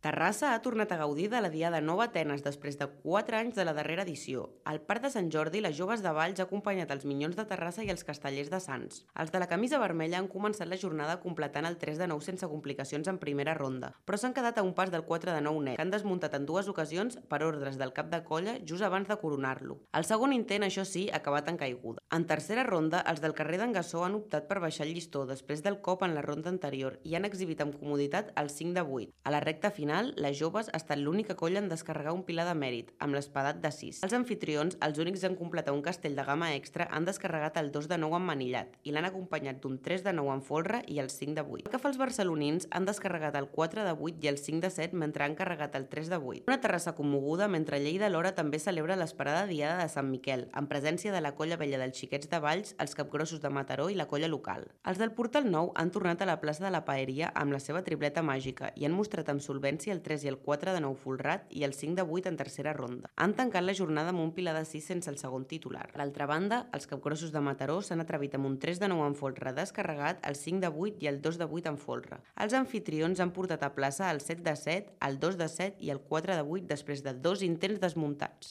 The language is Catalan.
Terrassa ha tornat a gaudir de la Diada Nova Atenes després de 4 anys de la darrera edició. Al Parc de Sant Jordi, les joves de Valls ha acompanyat els Minyons de Terrassa i els Castellers de Sants. Els de la camisa vermella han començat la jornada completant el 3 de 9 sense complicacions en primera ronda, però s'han quedat a un pas del 4 de 9 net, que han desmuntat en dues ocasions per ordres del cap de colla just abans de coronar-lo. El segon intent, això sí, ha acabat en caiguda. En tercera ronda, els del carrer d'en Gassó han optat per baixar el llistó després del cop en la ronda anterior i han exhibit amb comoditat el 5 de 8. A la recta final, les joves ha estat l'única colla en descarregar un pilar de mèrit, amb l'espadat de 6. Els anfitrions, els únics en completar un castell de gamma extra, han descarregat el 2 de 9 emmanillat i l'han acompanyat d'un 3 de 9 en folre i el 5 de 8. El que fa els barcelonins han descarregat el 4 de 8 i el 5 de 7 mentre han carregat el 3 de 8. Una Terrassa commoguda mentre Lleida alhora també celebra l'esperada Diada de Sant Miquel, en presència de la colla vella dels Xiquets de Valls, els Capgrossos de Mataró i la colla local. Els del Portal Nou han tornat a la plaça de la Paeria amb la seva tripleta màgica i han mostrat amb solvència el 3 i el 4 de 9 folrat i el 5 de 8 en tercera ronda. Han tancat la jornada amb un pilar de 6 sense el segon titular. Per l'altra banda, els Capgrossos de Mataró s'han atrevit amb un 3 de 9 en folre descarregat, el 5 de 8 i el 2 de 8 en folre. Els anfitrions han portat a plaça el 7 de 7, el 2 de 7 i el 4 de 8 després de 2 intents desmuntats.